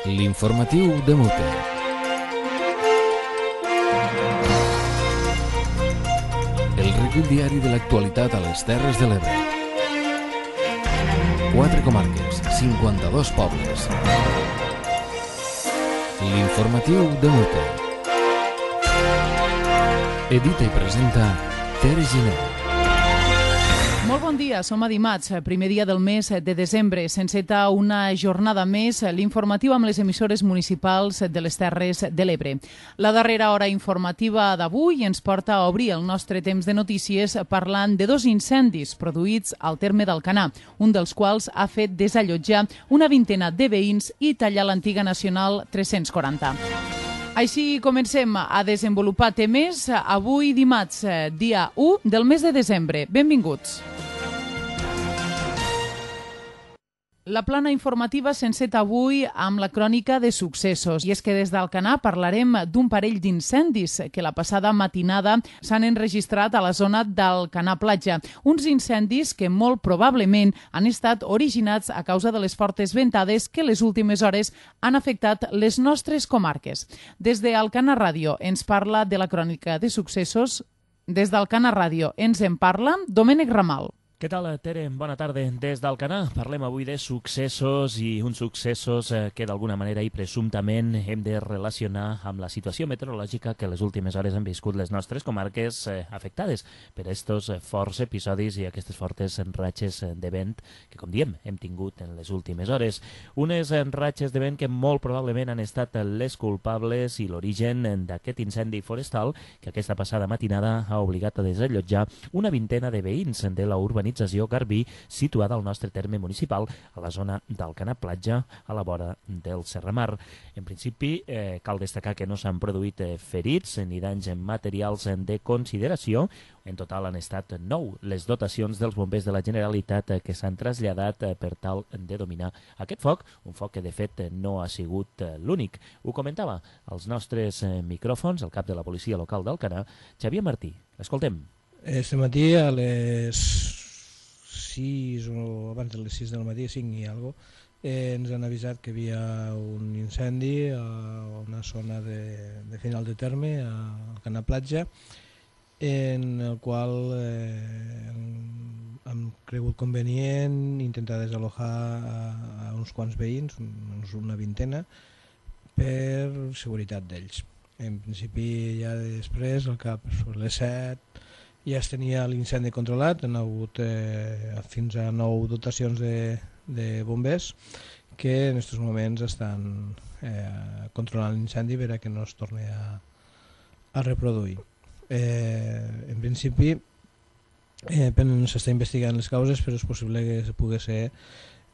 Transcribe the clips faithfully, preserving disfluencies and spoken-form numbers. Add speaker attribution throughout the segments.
Speaker 1: L'informatiu de Mute. El recull diari de l'actualitat a les Terres de l'Ebre. Quatre comarques, cinquanta-dos pobles. L'informatiu de Mute. Edita i presenta Tere Giner.
Speaker 2: Molt bon dia, som a dimarts, primer dia del mes de desembre. S'enceta una jornada més, l'informatiu amb les emissores municipals de les Terres de l'Ebre. La darrera hora informativa d'avui ens porta a obrir el nostre temps de notícies parlant de dos incendis produïts al terme d'Alcanar, un dels quals ha fet desallotjar una vintena de veïns i tallar l'antiga Nacional tres-cents quaranta. Així comencem a desenvolupar temes avui dimarts, dia u del mes de desembre. Benvinguts. La plana informativa s'enceta avui amb la crònica de successos. I és que des d'Alcanar parlarem d'un parell d'incendis que la passada matinada s'han enregistrat a la zona d'Alcanar Platja. Uns incendis que molt probablement han estat originats a causa de les fortes ventades que les últimes hores han afectat les nostres comarques. Des d'Alcanar Ràdio ens parla de la crònica de successos. Des d'Alcanar Ràdio ens en parla Domènec Ramal.
Speaker 3: Què tal, Tere? Bona tarda. Des d'Alcanar parlem avui de successos i uns successos que d'alguna manera i presumptament hem de relacionar amb la situació meteorològica que les últimes hores han viscut les nostres comarques afectades per estos forts episodis i aquestes fortes ratxes de vent que, com diem, hem tingut en les últimes hores. Unes ratxes de vent que molt probablement han estat les culpables i l'origen d'aquest incendi forestal que aquesta passada matinada ha obligat a desallotjar una vintena de veïns de la urbanització Garbí, situada al nostre terme municipal, a la zona d'Alcanar Platja, a la vora del Serramar. En principi, eh, cal destacar que no s'han produït eh, ferits ni danys materials de consideració. En total han estat nou les dotacions dels bombers de la Generalitat eh, que s'han traslladat eh, per tal de dominar aquest foc, un foc que de fet eh, no ha sigut eh, l'únic. Ho comentava als nostres eh, micròfons el cap de la policia local d'Alcanar, Xavier Martí. L'escoltem.
Speaker 4: Este matí a les sis o abans de les sis del matí, cinc i alguna cosa, eh, ens han avisat que hi havia un incendi a una zona de, de final de terme, a Alcanar Platja, en el qual eh, hem cregut convenient intentar desalojar a, a uns quants veïns, una vintena, per seguretat d'ells. En principi, ja després, al cap sobre les set, ja es tenia l'incendi controlat, han hagut eh, fins a nou dotacions de, de bombers que en aquests moments estan eh, controlant l'incendi per a que no es torni a, a reproduir. Eh, en principi eh, s'està investigant les causes, però és possible que pugui ser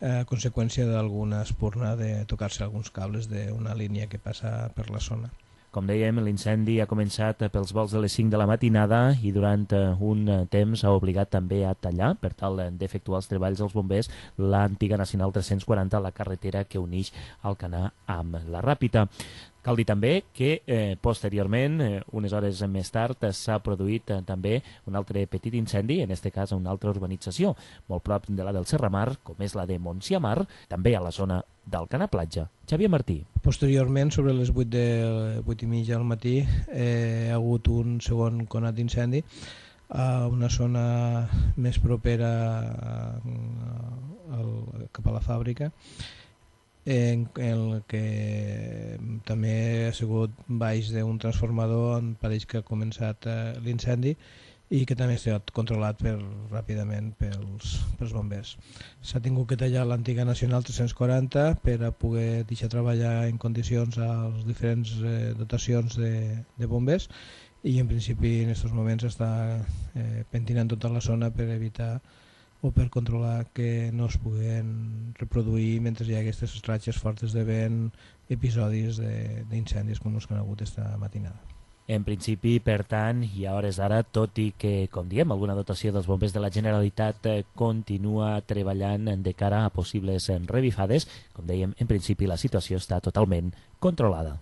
Speaker 4: a conseqüència d'alguna espurna de tocar-se alguns cables d'una línia que passa per la zona.
Speaker 3: Com dèiem, l'incendi ha començat pels vols de les cinc de la matinada i durant un temps ha obligat també a tallar, per tal d'efectuar els treballs dels bombers, l'antiga Nacional tres-cents quaranta, la carretera que uneix Alcanar amb la Ràpita. Cal dir també que eh, posteriorment, eh, unes hores més tard, s'ha produït eh, també un altre petit incendi, en aquest cas a una altra urbanització, molt prop de la del Serramar, com és la de Montsiamar, també a la zona d'Alcanar Platja. Xavier Martí.
Speaker 4: Posteriorment, sobre les vuit, de, vuit i mitja del matí, eh, ha hagut un segon conat d'incendi a una zona més propera a, a, a, cap a la fàbrica, en el que també ha sigut baix d'un transformador on pareix que ha començat eh, l'incendi i que també ha estat controlat per, ràpidament pels, pels bombers. S'ha tingut que tallar l'antiga Nacional tres-cents quaranta per a poder deixar treballar en condicions a les diferents eh, dotacions de, de bombers i en principi en aquests moments està eh, pentinant tota la zona per evitar o per controlar que no es puguen reproduir mentre hi ha aquestes ratxes fortes de vent, episodis d'incendis com els que han hagut esta matinada.
Speaker 3: En principi, per tant, i a hores d'ara, tot i que, com diem, alguna dotació dels bombers de la Generalitat continua treballant de cara a possibles revifades, com dèiem, en principi la situació està totalment controlada.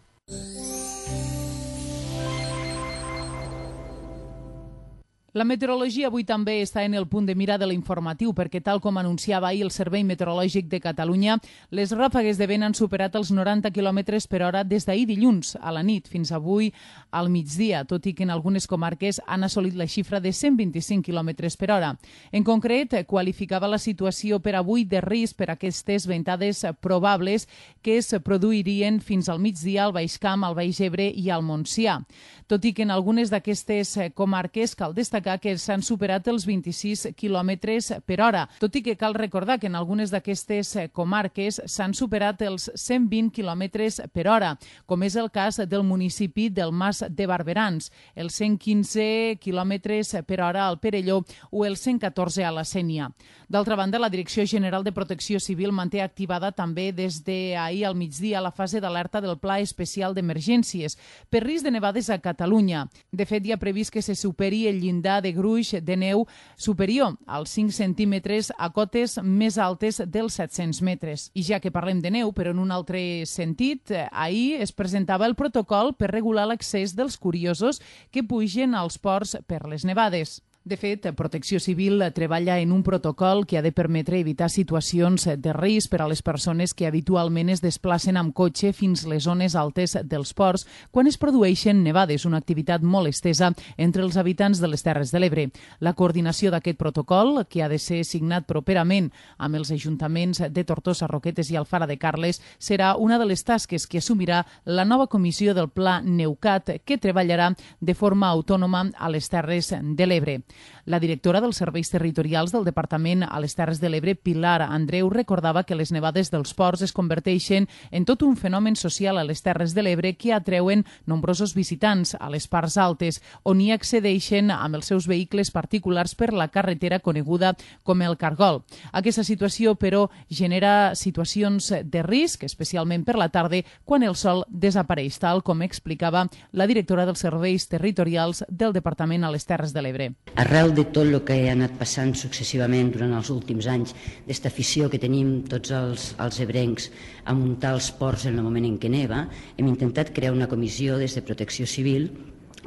Speaker 2: La meteorologia avui també està en el punt de mira de l'informatiu perquè, tal com anunciava ahir el Servei Meteorològic de Catalunya, les ràfegues de vent han superat els noranta quilòmetres per hora des d'ahir dilluns a la nit fins avui al migdia, tot i que en algunes comarques han assolit la xifra de cent vint-i-cinc quilòmetres per hora. En concret, qualificava la situació per avui de risc per aquestes ventades probables que es produirien fins al migdia al Baix Camp, al Baix Ebre i al Montsià. Tot i que en algunes d'aquestes comarques cal destacar que s'han superat els vint-i-sis quilòmetres per hora, tot i que cal recordar que en algunes d'aquestes comarques s'han superat els cent vint quilòmetres per hora, com és el cas del municipi del Mas de Barberans, els cent quinze quilòmetres per hora al Perelló o els cent catorze a la Sénia. D'altra banda, la Direcció General de Protecció Civil manté activada també des d'ahir al migdia la fase d'alerta del Pla Especial d'Emergències per risc de nevades a Catalunya. De fet, hi ha previst que se superi el llindar de gruix de neu superior als cinc centímetres a cotes més altes dels set-cents metres. I ja que parlem de neu, però en un altre sentit, ahir es presentava el protocol per regular l'accés dels curiosos que pugen als ports per les nevades. De fet, Protecció Civil treballa en un protocol que ha de permetre evitar situacions de risc per a les persones que habitualment es desplacen amb cotxe fins les zones altes dels ports quan es produeixen nevades, una activitat molt estesa entre els habitants de les Terres de l'Ebre. La coordinació d'aquest protocol, que ha de ser signat properament amb els ajuntaments de Tortosa, Roquetes i Alfara de Carles, serà una de les tasques que assumirà la nova comissió del Pla Neucat, que treballarà de forma autònoma a les Terres de l'Ebre. La directora dels Serveis Territorials del Departament a les Terres de l'Ebre, Pilar Andreu, recordava que les nevades dels ports es converteixen en tot un fenomen social a les Terres de l'Ebre que atreuen nombrosos visitants a les parts altes, on hi accedeixen amb els seus vehicles particulars per la carretera coneguda com el Cargol. Aquesta situació, però, genera situacions de risc, especialment per la tarda, quan el sol desapareix, tal com explicava la directora dels Serveis Territorials del Departament a les Terres de l'Ebre.
Speaker 5: Arrel de tot el que ha anat passant successivament durant els últims anys, d'esta afició que tenim tots els, els ebrencs a muntar els ports en el moment en què neva, hem intentat crear una comissió des de Protecció Civil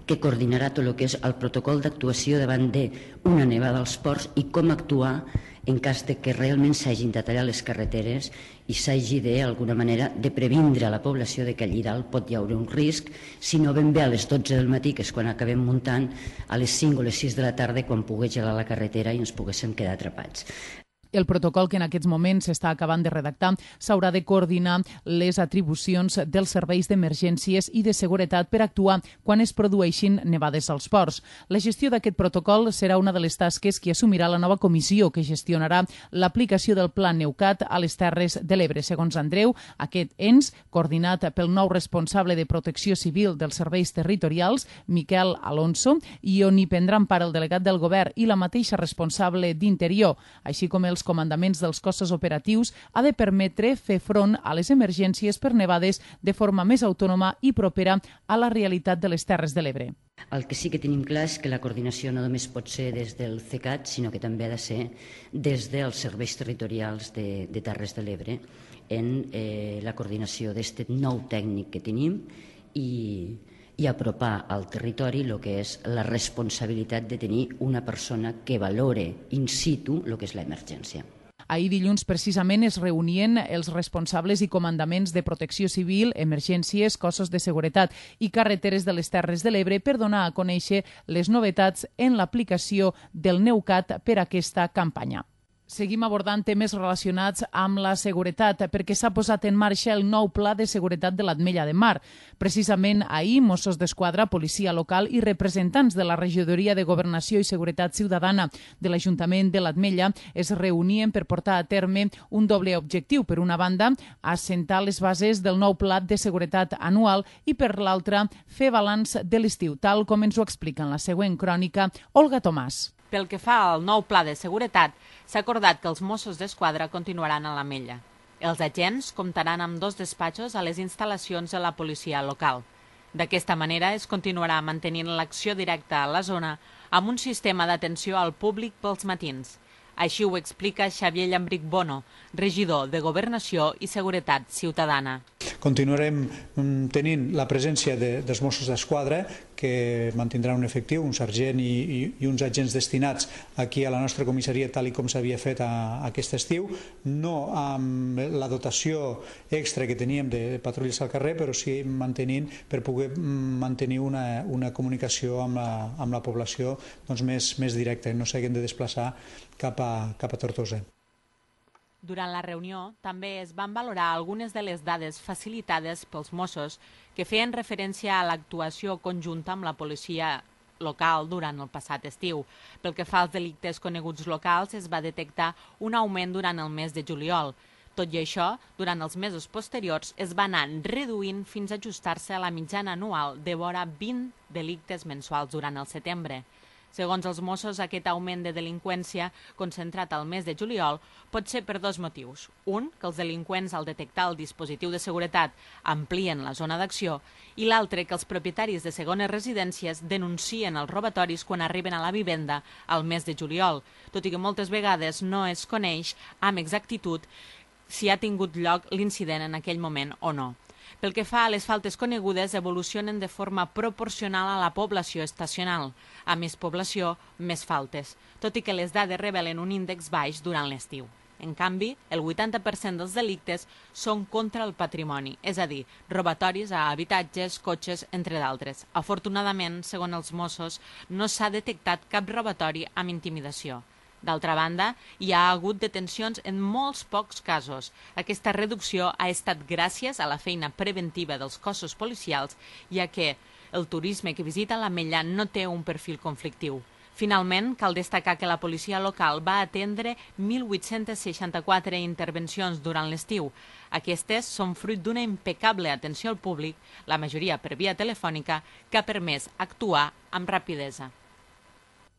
Speaker 5: que coordinarà tot el que és el protocol d'actuació davant d'una nevada als ports i com actuar en cas de que realment s'hagin de tallar les carreteres i s'hagi d'alguna manera de previndre a la població de que allí dalt pot hi haure un risc, si no ben bé a les dotze del matí, que és quan acabem muntant, a les cinc o les sis de la tarda, quan pogués gelar la carretera i ens poguéssim quedar atrapats.
Speaker 2: El protocol que en aquests moments s'està acabant de redactar s'haurà de coordinar les atribucions dels serveis d'emergències i de seguretat per actuar quan es produeixin nevades als ports. La gestió d'aquest protocol serà una de les tasques que assumirà la nova comissió que gestionarà l'aplicació del Pla Neucat a les Terres de l'Ebre. Segons Andreu, aquest ens, coordinat pel nou responsable de Protecció Civil dels Serveis Territorials, Miquel Alonso, i on hi prendran part el delegat del Govern i la mateixa responsable d'Interior, així com els comandaments dels cossos operatius, ha de permetre fer front a les emergències per nevades de forma més autònoma i propera a la realitat de les Terres de l'Ebre.
Speaker 5: El que sí que tenim clar és que la coordinació no només pot ser des del CECAT, sinó que també ha de ser des dels serveis territorials de, de Terres de l'Ebre en eh, la coordinació d'aquest nou tècnic que tenim i i apropar al territori el que és la responsabilitat de tenir una persona que valore in situ el que és l'emergència.
Speaker 2: Ahir dilluns precisament es reunien els responsables i comandaments de Protecció Civil, Emergències, Cossos de Seguretat i Carreteres de les Terres de l'Ebre per donar a conèixer les novetats en l'aplicació del Neucat per a aquesta campanya. Seguim abordant temes relacionats amb la seguretat perquè s'ha posat en marxa el nou Pla de Seguretat de l'Ametlla de Mar. Precisament ahir, Mossos d'Esquadra, policia local i representants de la Regidoria de Governació i Seguretat Ciutadana de l'Ajuntament de l'Ametlla es reunien per portar a terme un doble objectiu. Per una banda, assentar les bases del nou Pla de Seguretat anual i per l'altra, fer balanç de l'estiu, tal com ens ho explica en la següent crònica Olga Tomàs.
Speaker 6: Pel que fa al nou pla de seguretat, s'ha acordat que els Mossos d'Esquadra continuaran a l'Ametlla. Els agents comptaran amb dos despatxos a les instal·lacions de la policia local. D'aquesta manera es continuarà mantenint l'acció directa a la zona amb un sistema d'atenció al públic pels matins. Així ho explica Xavier Llambric Bono, regidor de Governació i Seguretat Ciutadana.
Speaker 7: Continuarem tenint la presència de, dels Mossos d'Esquadra que mantindrà un efectiu, un sergent i, i, i uns agents destinats aquí a la nostra comissaria tal i com s'havia fet a, a aquest estiu, no amb la dotació extra que teníem de patrulles al carrer, però sí mantenint per poder mantenir una, una comunicació amb la, amb la població doncs, més, més directa, no s'hagin de desplaçar cap a, cap a Tortosa.
Speaker 6: Durant la reunió també es van valorar algunes de les dades facilitades pels Mossos que feien referència a l'actuació conjunta amb la policia local durant el passat estiu. Pel que fa als delictes coneguts locals, es va detectar un augment durant el mes de juliol. Tot i això, durant els mesos posteriors es va anar reduint fins a ajustar-se a la mitjana anual de vora vint delictes mensuals durant el setembre. Segons els Mossos, aquest augment de delinqüència concentrat al mes de juliol pot ser per dos motius. Un, que els delinqüents, al detectar el dispositiu de seguretat, amplien la zona d'acció, i l'altre, que els propietaris de segones residències denuncien els robatoris quan arriben a la vivenda al mes de juliol, tot i que moltes vegades no es coneix amb exactitud si ha tingut lloc l'incident en aquell moment o no. Pel que fa a les faltes conegudes, evolucionen de forma proporcional a la població estacional. A més població, més faltes, tot i que les dades revelen un índex baix durant l'estiu. En canvi, el vuitanta per cent dels delictes són contra el patrimoni, és a dir, robatoris a habitatges, cotxes, entre d'altres. Afortunadament, segons els Mossos, no s'ha detectat cap robatori amb intimidació. D'altra banda, hi ha hagut detencions en molts pocs casos. Aquesta reducció ha estat gràcies a la feina preventiva dels cossos policials, ja que el turisme que visita l'Ametlla no té un perfil conflictiu. Finalment, cal destacar que la policia local va atendre mil vuit-cents seixanta-quatre intervencions durant l'estiu. Aquestes són fruit d'una impecable atenció al públic, la majoria per via telefònica, que ha permès actuar amb rapidesa.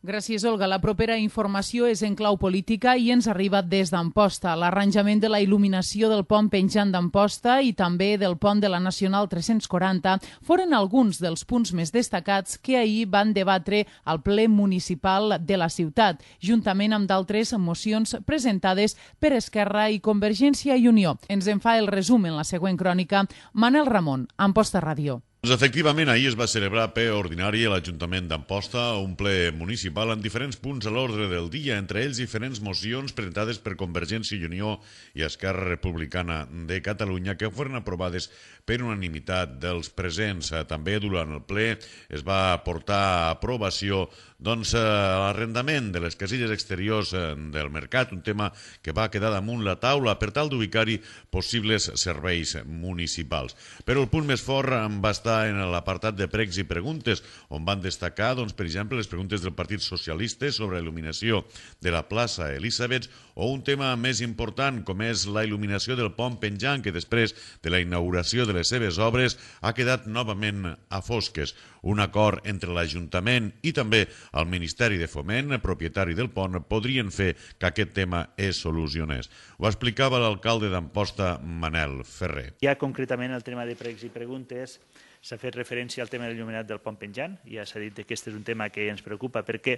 Speaker 2: Gràcies, Olga. La propera informació és en clau política i ens arriba des d'Amposta. L'arranjament de la il·luminació del pont penjant d'Amposta i també del pont de la Nacional tres-cents quaranta foren alguns dels punts més destacats que ahir van debatre al ple municipal de la ciutat, juntament amb d'altres mocions presentades per Esquerra i Convergència i Unió. Ens en fa el resum en la següent crònica Manel Ramon, Amposta Ràdio.
Speaker 8: Doncs efectivament, ahir es va celebrar ple ordinari a l'Ajuntament d'Amposta, un ple municipal amb diferents punts a l'ordre del dia, entre ells diferents mocions presentades per Convergència i Unió i Esquerra Republicana de Catalunya que foren aprovades per unanimitat dels presents. També durant el ple es va portar a aprovació doncs, l'arrendament de les casilles exteriors del mercat, un tema que va quedar damunt la taula per tal d'ubicar-hi possibles serveis municipals. Però el punt més fort va estar en l'apartat de pregs i preguntes, on van destacar, doncs, per exemple, les preguntes del Partit Socialista sobre la il·luminació de la plaça Elisabets o un tema més important com és la il·luminació del pont penjant que després de la inauguració de les seves obres ha quedat novament a fosques. Un acord entre l'Ajuntament i també el Ministeri de Foment, propietari del pont, podrien fer que aquest tema es solucionés. Ho explicava l'alcalde d'Amposta, Manel Ferrer.
Speaker 9: Ja concretament el tema de pregs i preguntes s'ha fet referència al tema del il·luminat del pont penjant. Ja s'ha dit que aquest és un tema que ens preocupa perquè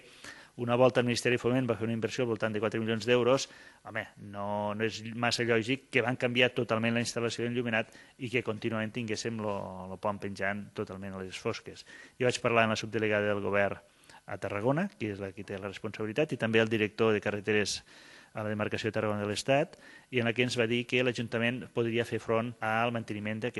Speaker 9: una volta el Ministeri de Foment va fer una inversió al voltant de quatre milions d'euros. Home, no, no és massa lògic que van canviar totalment la instal·lació d'enlluminat i que contínuament tinguéssim el pont penjant totalment a les fosques. Jo vaig parlar amb la subdelegada del govern a Tarragona, que és la que té la responsabilitat, i també el director de carreteres a la demarcació de Tarragona de l'Estat, i en la que ens va dir que l'Ajuntament podria fer front al manteniment de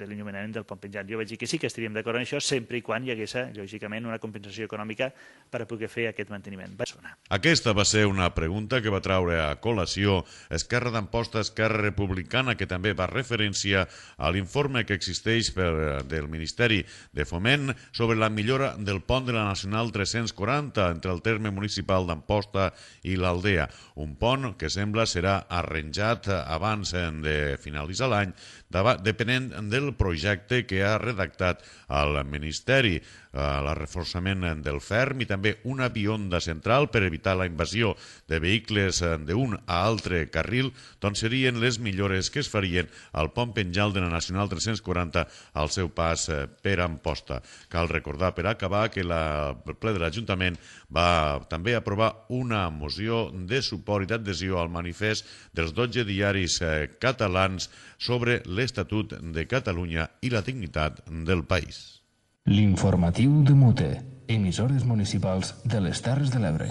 Speaker 9: l'enllumenament del pont penjant. Jo vaig dir que sí que estaríem d'acord en això, sempre i quan hi hagués, lògicament, una compensació econòmica per a poder fer aquest manteniment. Va sonar.
Speaker 8: Aquesta va ser una pregunta que va traure a col·lació Esquerra d'Amposta, Esquerra Republicana, que també va referència a l'informe que existeix per, del Ministeri de Foment sobre la millora del pont de la Nacional tres-cents quaranta entre el terme municipal d'Amposta i l'Aldea. Un pont que sembla serà arranjat abans de finalitzar l'any, depenent del projecte que ha redactat el Ministeri. El reforçament del ferm i també una bionda central per evitar la invasió de vehicles d'un a altre carril, doncs serien les millores que es farien al pont penjant de la Nacional tres-cents quaranta al seu pas per Amposta. Cal recordar, per acabar, que la, el ple de l'Ajuntament va també aprovar una moció de suport i d'adhesió al manifest dels dotze diaris catalans sobre l'Estatut de Catalunya i la dignitat del país.
Speaker 1: L'informatiu de Mute, emissores municipals de les Terres de l'Ebre.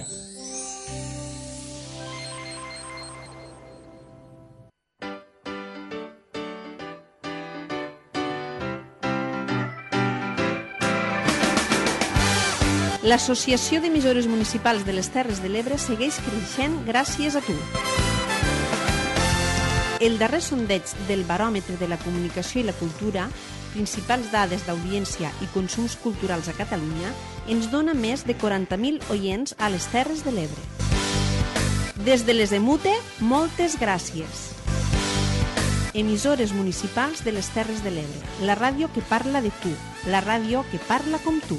Speaker 10: L'Associació d'Emissores Municipals de les Terres de l'Ebre segueix creixent gràcies a tu. El darrer sondeig del Baròmetre de la Comunicació i la Cultura, principals dades d'audiència i consums culturals a Catalunya, ens dona més de quaranta mil oients a les Terres de l'Ebre. Des de les Emute, moltes gràcies. Emissores municipals de les Terres de l'Ebre, la ràdio que parla de tu, la ràdio que parla com tu.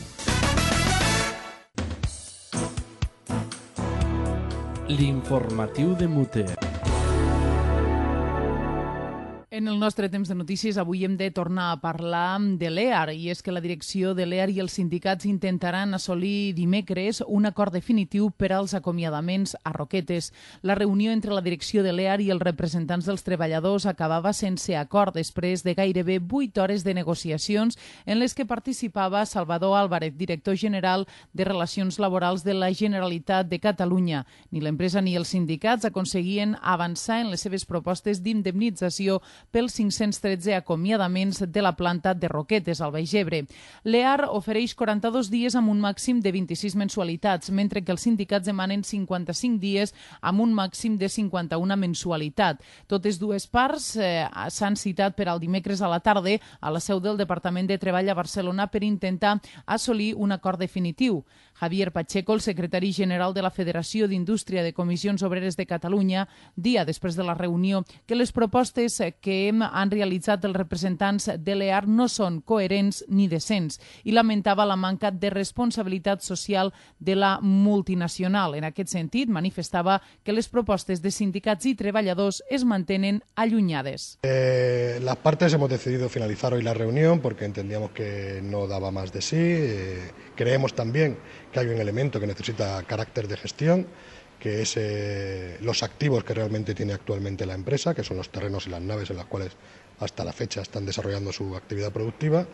Speaker 1: L'informatiu de Mute.
Speaker 2: En el nostre temps de notícies avui hem de tornar a parlar de l'E A R, i és que la direcció de l'E A R i els sindicats intentaran assolir dimecres un acord definitiu per als acomiadaments a Roquetes. La reunió entre la direcció de l'E A R i els representants dels treballadors acabava sense acord després de gairebé vuit hores de negociacions en les que participava Salvador Álvarez, director general de Relacions Laborals de la Generalitat de Catalunya. Ni l'empresa ni els sindicats aconseguien avançar en les seves propostes d'indemnització pels cinc-cents tretze acomiadaments de la planta de Roquetes, al Baix Ebre. L'E A R ofereix quaranta-dos dies amb un màxim de vint-i-sis mensualitats, mentre que els sindicats demanen cinquanta-cinc dies amb un màxim de cinquanta-una mensualitat. Totes dues parts eh, s'han citat per al dimecres a la tarda a la seu del Departament de Treball a Barcelona per intentar assolir un acord definitiu. Javier Pacheco, el secretari general de la Federació d'Indústria de Comissions Obreres de Catalunya, dia després de la reunió, que les propostes que han realitzat els representants de l'E A R no són coherents ni decents i lamentava la manca de responsabilitat social de la multinacional. En aquest sentit, manifestava que les propostes de sindicats i treballadors es mantenen allunyades.
Speaker 11: Eh, las partes hemos decidido finalizar hoy la reunión porque entendíamos que no daba más de sí. Eh, creemos también que hay un elemento que necesita carácter de gestión, que es eh, los activos que realmente tiene actualmente la empresa, que son los terrenos y las naves en las cuales hasta la fecha están desarrollando su actividad productiva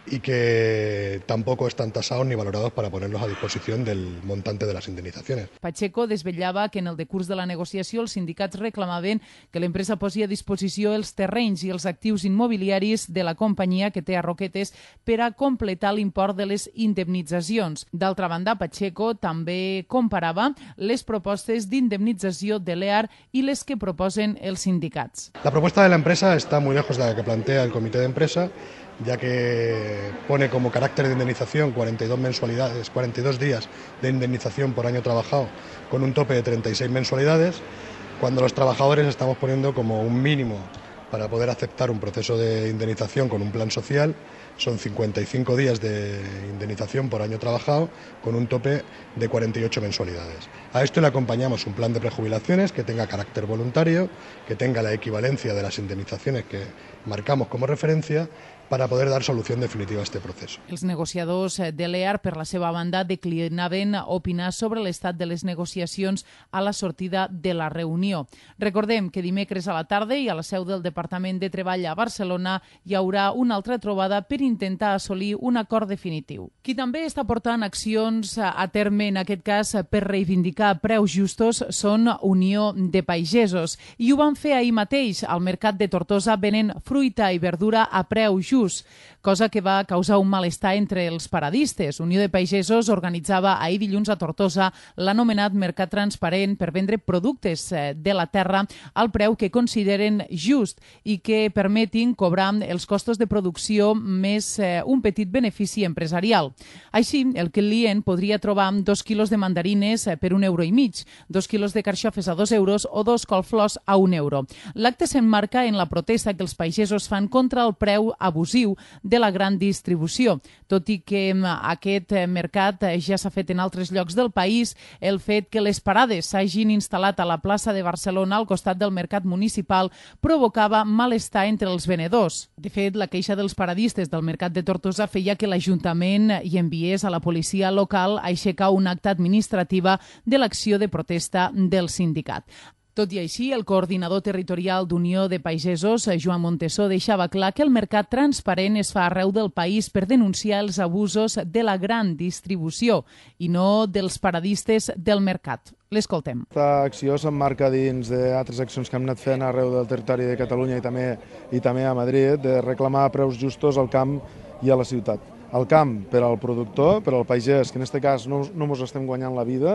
Speaker 11: y que tampoco están tasados ni valorados para ponerlos a disposición del montante de las indemnitzacions.
Speaker 2: Pacheco desvetllava que en el decurs de la negociació els sindicats reclamaven que l'empresa posi a disposició els terrenys i els actius immobiliaris de la companyia que té a Roquetes per a completar l'import de les indemnitzacions. D'altra banda, Pacheco també comparava les propostes d'indemnització de l'E A R i les que proposen els sindicats.
Speaker 11: La propuesta de la empresa está muy lejos de la que plantea el comité de empresa, ya que pone como carácter de indemnización cuarenta y dos mensualidades, cuarenta y dos días de indemnización por año trabajado con un tope de treinta y seis mensualidades, cuando los trabajadores estamos poniendo como un mínimo para poder aceptar un proceso de indemnización con un plan social, son cincuenta y cinco días de indemnización por año trabajado con un tope de cuarenta y ocho mensualidades. A esto le acompañamos un plan de prejubilaciones que tenga carácter voluntario, que tenga la equivalencia de las indemnizaciones que marcamos como referencia, para poder dar solució definitiva a este procés.
Speaker 2: Els negociadors de l'E A R, per la seva banda, declinaven opinar sobre l'estat de les negociacions a la sortida de la reunió. Recordem que dimecres a la tarda i a la seu del Departament de Treball a Barcelona hi haurà una altra trobada per intentar assolir un acord definitiu. Qui també està portant accions a terme, en aquest cas per reivindicar preus justos, són Unió de Pagesos. I ho van fer ahir mateix al mercat de Tortosa venent fruita i verdura a preu just, cosa que va causar un malestar entre els paradistes. Unió de Pagesos organitzava ahir dilluns a Tortosa l'anomenat Mercat Transparent per vendre productes de la terra al preu que consideren just i que permetin cobrar els costos de producció més un petit benefici empresarial. Així, el client podria trobar dos quilos de mandarines per un euro i mig, dos quilos de carxofes a dos euros o dos colflors a un euro. L'acte s'emmarca en la protesta que els pagesos fan contra el preu abusiu de la gran distribució. Tot i que aquest mercat ja s'ha fet en altres llocs del país, el fet que les parades s'hagin instal·lat a la plaça de Barcelona al costat del mercat municipal provocava malestar entre els venedors. De fet, la queixa dels paradistes del mercat de Tortosa feia que l'Ajuntament hi enviés a la policia local a aixecar un acte administrativa de l'acció de protesta del sindicat. Tot i així, el coordinador territorial d'Unió de Pagesos, Joan Montesó, deixava clar que el mercat transparent es fa arreu del país per denunciar els abusos de la gran distribució i no dels paradistes del mercat. L'escoltem.
Speaker 12: Aquesta acció s'emmarca dins d'altres accions que hem anat fent arreu del territori de Catalunya i també, i també a Madrid, de reclamar preus justos al camp i a la ciutat. Al camp per al productor, per al pagès, que en aquest cas no, no ens estem guanyant la vida,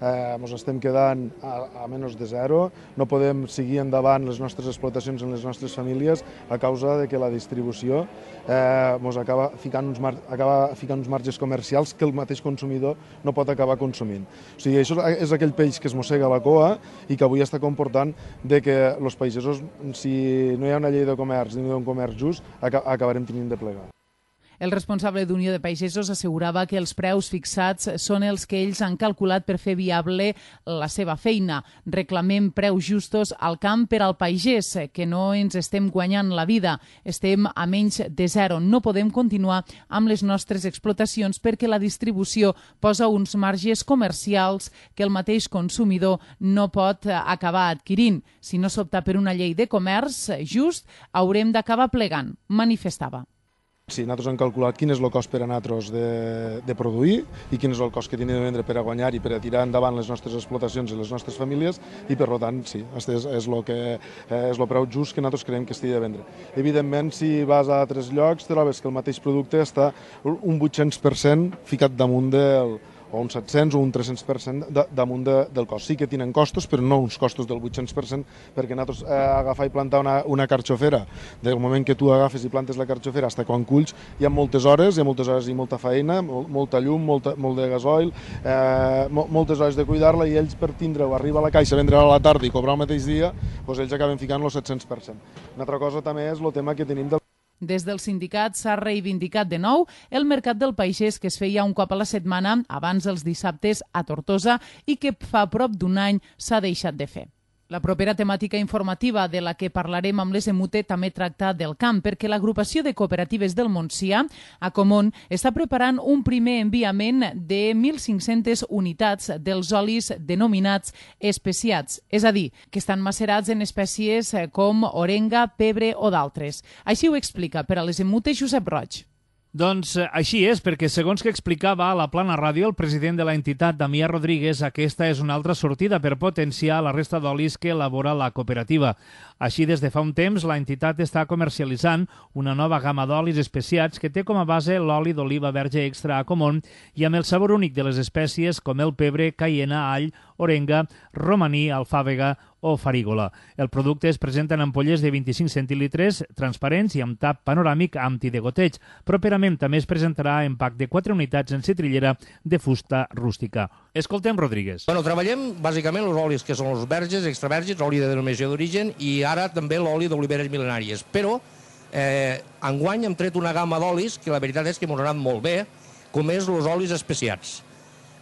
Speaker 12: eh, ens estem quedant a, a menys de zero, no podem seguir endavant les nostres explotacions en les nostres famílies a causa de que la distribució eh, ens acaba ficant, uns mar, acaba ficant uns marges comercials que el mateix consumidor no pot acabar consumint. O sigui, això és aquell peix que es mossega la coa i que avui està comportant de que els pagesos, si no hi ha una llei de comerç ni un comerç just, acabarem tenint de plegar.
Speaker 2: El responsable d'Unió de Pagesos assegurava que els preus fixats són els que ells han calculat per fer viable la seva feina. Reclamem preus justos al camp per al pagès, que no ens estem guanyant la vida. Estem a menys de zero. No podem continuar amb les nostres explotacions perquè la distribució posa uns marges comercials que el mateix consumidor no pot acabar adquirint. Si no s'opta per una llei de comerç just, haurem d'acabar plegant, manifestava.
Speaker 12: Sí, nosaltres hem calculat quin és el cost per a nosaltres de, de produir i quin és el cost que tenim de vendre per a guanyar i per a tirar endavant les nostres explotacions i les nostres famílies i, per tant, sí, aquest és, és, el que, és el preu just que nosaltres creiem que estigui de vendre. Evidentment, si vas a altres llocs, trobes que el mateix producte està un vuit-cents per cent ficat damunt del o un set-cents o un tres-cents per cent damunt de, del cost. Sí que tenen costos, però no uns costos del vuit-cents per cent, perquè nosaltres eh, agafar i plantar una, una carxofera, del moment que tu agafes i plantes la carxofera fins quan culls, hi ha moltes hores, hi ha moltes hores i molta feina, mol, molta llum, molta, molt de gasoil, eh, mo, moltes hores de cuidar-la, i ells per tindre-ho, arriba a la caixa, vendre-la a la tarda i cobrar el mateix dia, doncs ells acaben ficant el set-cents per cent. Una altra cosa també és el tema que tenim del
Speaker 2: Des del sindicat s'ha reivindicat de nou el mercat del pagès que es feia un cop a la setmana abans dels dissabtes a Tortosa i que fa prop d'un any s'ha deixat de fer. La propera temàtica informativa de la que parlarem amb l'S M U T també tracta del camp, perquè l'agrupació de cooperatives del Montsià, Acomon, està preparant un primer enviament de mil cinc-centes unitats dels olis denominats especiats, és a dir, que estan macerats en espècies com orenga, pebre o d'altres. Així ho explica per a l'S M U T Josep Roig.
Speaker 13: Doncs així és, perquè segons que explicava a la Plana Ràdio el president de la entitat, Damià Rodríguez, aquesta és una altra sortida per potenciar la resta d'olis que elabora la cooperativa. Així, des de fa un temps, la entitat està comercialitzant una nova gamma d'olis especiats que té com a base l'oli d'oliva verge extra Acomon i amb el sabor únic de les espècies com el pebre, caiena, all, orenga, romaní, alfàbega o farígola. El producte es presenta en ampolles de vint-i-cinc centilitres, transparents i amb tap panoràmic antidegoteig. Properament també es presentarà en pack de quatre unitats en citrillera de fusta rústica. Escoltem Rodríguez.
Speaker 14: Bueno, treballem bàsicament els olis que són els verges, extraverges, oli de denominació d'origen i ara també l'oli d'oliveres mil·lenàries. Però eh, enguany hem tret una gamma d'olis que la veritat és que ens ha anat molt bé, com és els olis especiats.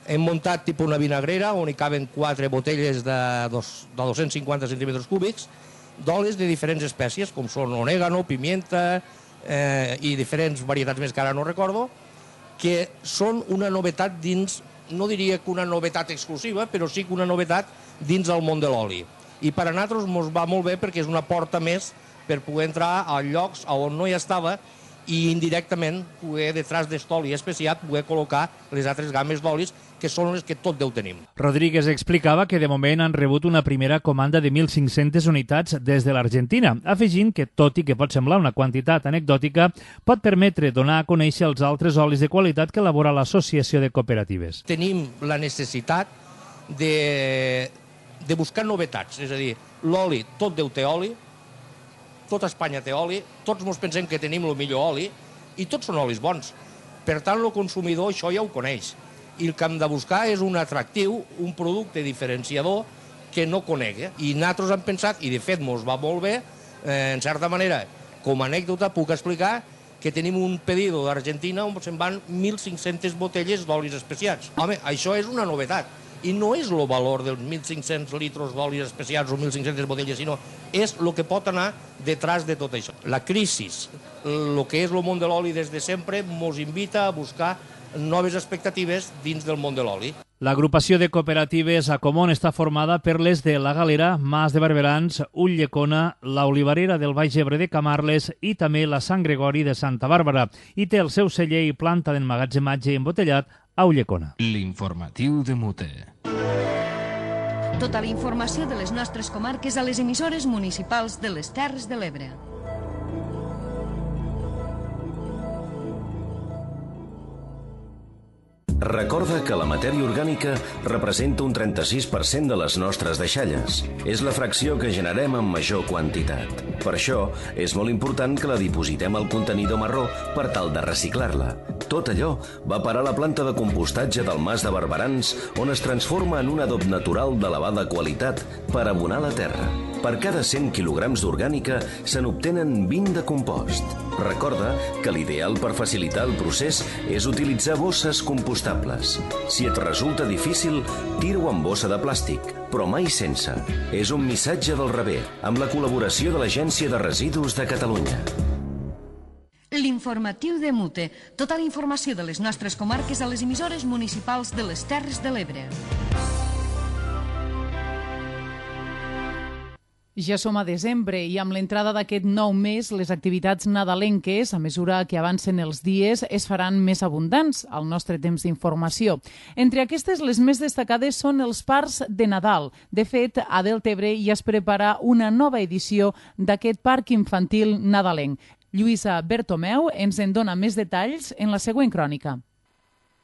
Speaker 14: Hem muntat tipus una vinagrera on hi caben quatre botelles de, dos, de dos-cents cinquanta centímetres cúbics d'olis de diferents espècies, com són orégano, pimienta eh, i diferents varietats més que ara no recordo, que són una novetat dins, no diria que una novetat exclusiva, però sí que una novetat dins del món de l'oli. I per a nosaltres ens va molt bé perquè és una porta més per poder entrar a llocs on no hi estava i indirectament poder, detrás d'aquest oli especiat, poder col·locar les altres gammes d'olis que són les que tot Déu tenim.
Speaker 13: Rodríguez explicava que de moment han rebut una primera comanda de mil cinc-centes unitats des de l'Argentina, afegint que, tot i que pot semblar una quantitat anecdòtica, pot permetre donar a conèixer els altres olis de qualitat que elabora l'Associació de Cooperatives.
Speaker 14: Tenim la necessitat de, de buscar novetats, és a dir, l'oli, tot Déu té oli, tota Espanya té oli, tots ens pensem que tenim el millor oli i tots són olis bons. Per tant, el consumidor això ja ho coneix. I el que hem de buscar és un atractiu, un producte diferenciador que no conegui. I nosaltres hem pensat, i de fet ens va molt bé, eh, en certa manera, com a anècdota puc explicar que tenim un pedido d'Argentina on se'n van mil cinc-centes botelles d'olis especiats. Home, això és una novetat. I no és el valor dels mil cinc-cents litres d'olis especials o mil cinc-centes botelles, sinó és el que pot anar detrás de tot això. La crisi, el que és el món de l'oli des de sempre, ens invita a buscar noves expectatives dins del món de l'oli.
Speaker 13: L'agrupació de cooperatives Acomon està formada per les de La Galera, Mas de Barberans, Ulldecona, la Olivarera del Baix Ebre de Camarles i també la Sant Gregori de Santa Bàrbara, i té el seu celler i planta d'emmagatzematge embotellat a Ulldecona.
Speaker 1: L'informatiu de Mute.
Speaker 15: Tota la informació de les nostres comarques a les emissores municipals de les Terres de l'Ebre.
Speaker 16: Recorda que la matèria orgànica representa un trenta-sis per cent de les nostres deixalles. És la fracció que generem en major quantitat. Per això, és molt important que la dipositem al contenidor marró per tal de reciclar-la. Tot allò va parar a la planta de compostatge del Mas de Barberans, on es transforma en un adob natural d'elevada qualitat per abonar la terra. Per cada cent quilograms d'orgànica se n'obtenen vint de compost. Recorda que l'ideal per facilitar el procés és utilitzar bosses compostables. Si et resulta difícil, tira-ho en bossa de plàstic, però mai sense. És un missatge del Rebé, amb la col·laboració de l'Agència de Residus de Catalunya.
Speaker 15: L'informatiu de Mute. Tota la informació de les nostres comarques a les emissores municipals de les Terres de l'Ebre.
Speaker 2: Ja som a desembre i amb l'entrada d'aquest nou mes les activitats nadalenques, a mesura que avancen els dies, es faran més abundants al nostre temps d'informació. Entre aquestes, les més destacades són els parcs de Nadal. De fet, a Deltebre ja es prepara una nova edició d'aquest parc infantil nadalenc. Lluïsa Bertomeu ens en dona més detalls en la següent crònica.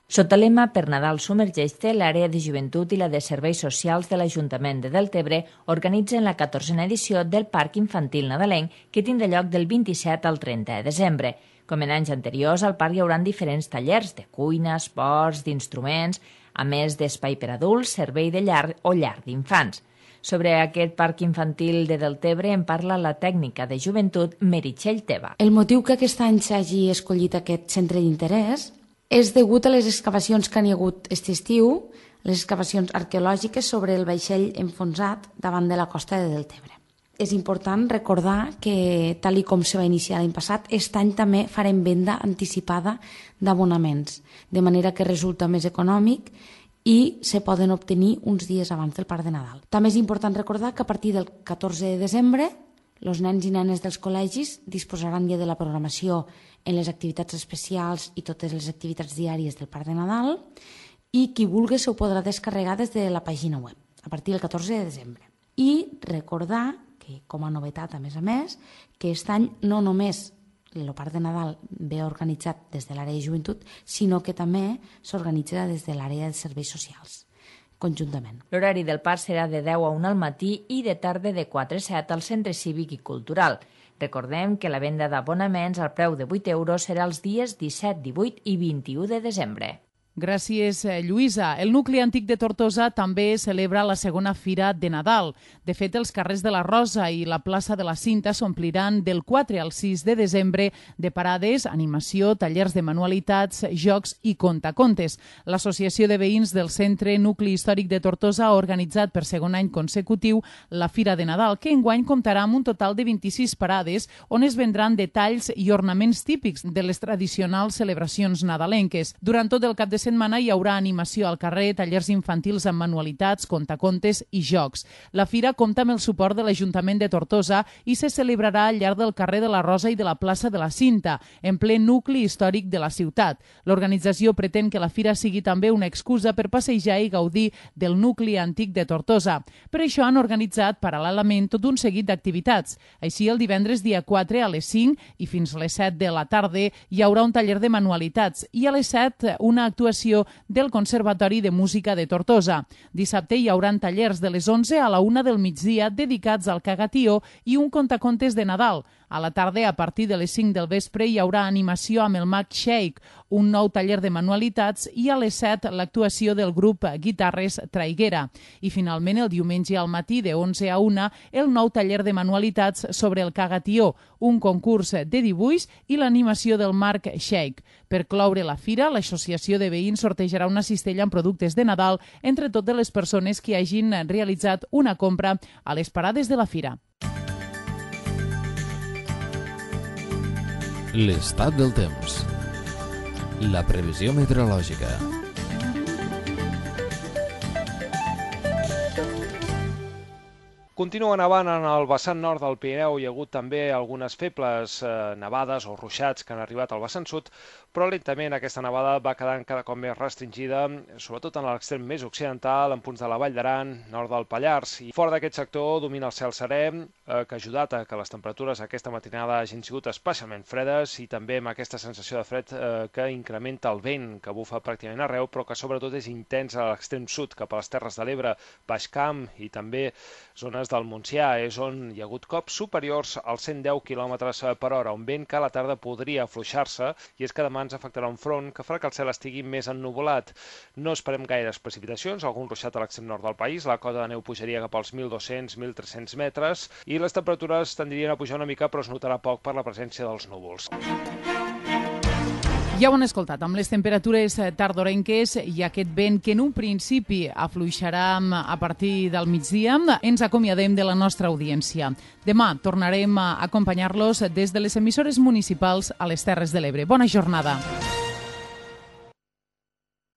Speaker 17: Sota el lema Per Nadal submergeix-te, l'àrea de joventut i la de serveis socials de l'Ajuntament de Deltebre organitzen la catorzena edició del Parc Infantil Nadalenc, que tindrà lloc del vint-i-set al trenta de desembre. Com en anys anteriors, al parc hi haurà diferents tallers de cuina, esports, d'instruments, a més d'espai per adults, servei de llar o llar d'infants. Sobre aquest parc infantil de Deltebre en parla la tècnica de joventut Meritxell Teva.
Speaker 18: El motiu que aquest any s'hagi escollit aquest centre d'interès és degut a les excavacions que n'hi ha hagut aquest estiu, les excavacions arqueològiques sobre el vaixell enfonsat davant de la costa de Deltebre. És important recordar que, tal i com se va iniciar l'any passat, aquest any també farem venda anticipada d'abonaments, de manera que resulta més econòmic i se poden obtenir uns dies abans del Parc de Nadal. També és important recordar que a partir del catorze de desembre els nens i nenes dels col·legis disposaran ja de la programació en les activitats especials i totes les activitats diàries del Parc de Nadal i qui vulgui se ho podrà descarregar des de la pàgina web a partir del catorze de desembre. I recordar que, com a novetat a més a més, que aquest any no només el Parc de Nadal ve organitzat des de l'àrea de joventut, sinó que també s'organitza des de l'àrea de serveis socials conjuntament.
Speaker 17: L'horari del parc serà de deu a una al matí i de tarda de quatre a set al Centre Cívic i Cultural. Recordem que la venda d'abonaments al preu de vuit euros serà els dies disset, divuit i vint-i-u de desembre.
Speaker 2: Gràcies, Lluïsa. El nucli antic de Tortosa també celebra la segona Fira de Nadal. De fet, els carrers de la Rosa i la plaça de la Cinta s'ompliran del quatre al sis de desembre de parades, animació, tallers de manualitats, jocs i contacontes. L'Associació de Veïns del Centre Nucli Històric de Tortosa ha organitzat per segon any consecutiu la Fira de Nadal, que enguany comptarà amb un total de vint-i-sis parades on es vendran detalls i ornaments típics de les tradicionals celebracions nadalenques. Durant tot el cap de setmana hi haurà animació al carrer, tallers infantils amb manualitats, contacontes i jocs. La fira compta amb el suport de l'Ajuntament de Tortosa i se celebrarà al llarg del carrer de la Rosa i de la plaça de la Cinta, en ple nucli històric de la ciutat. L'organització pretén que la fira sigui també una excusa per passejar i gaudir del nucli antic de Tortosa. Per això han organitzat paral·lelament tot un seguit d'activitats. Així, el divendres dia quatre a les cinc i fins a les set de la tarda hi haurà un taller de manualitats i a les set una actuació del Conservatori de Música de Tortosa. Dissabte hi haurà tallers de les onze a la una del migdia dedicats al cagatió i un contacontes de Nadal. A la tarda, a partir de les cinc del vespre, hi haurà animació amb el Mag Shake, un nou taller de manualitats, i a les set l'actuació del grup Guitarres Traiguera. I finalment, el diumenge al matí, de onze a una, el nou taller de manualitats sobre el cagatió, un concurs de dibuix i l'animació del Marc Shake. Per cloure la fira, l'Associació de Veïns sortejarà una cistella amb productes de Nadal entre totes les persones que hagin realitzat una compra a les parades de la fira.
Speaker 1: L'estat del temps. La previsió meteorològica.
Speaker 19: Continua nevant en el vessant nord del Pirineu. Hi ha hagut també algunes febles eh, nevades o ruixats que han arribat al vessant sud, però lentament aquesta nevada va quedant cada cop més restringida, sobretot en l'extrem més occidental, en punts de la Vall d'Aran, nord del Pallars. I fora d'aquest sector domina el cel serè, eh, que ha ajudat a que les temperatures aquesta matinada hagin sigut especialment fredes i també amb aquesta sensació de fred eh, que incrementa el vent, que bufa pràcticament arreu, però que sobretot és intens a l'extrem sud, cap a les Terres de l'Ebre, Baix Camp i també zones del Montsià, és on hi ha hagut cops superiors als cent deu quilòmetres per hora, un vent que a la tarda podria afluixar-se, i és que demà ens afectarà un front que farà que el cel estigui més ennuvolat. No esperem gaires precipitacions, algun ruixat a l'extrem nord del país, la cota de neu pujaria cap als mil dos-cents a mil tres-cents metres i les temperatures tendrien a pujar una mica, però es notarà poc per la presència dels núvols.
Speaker 2: Ja ho han escoltat, amb les temperatures tardorenques i aquest vent que en un principi afluixarà a partir del migdia, ens acomiadem de la nostra audiència. Demà tornarem a acompanyar-los des de les emissores municipals a les Terres de l'Ebre. Bona jornada.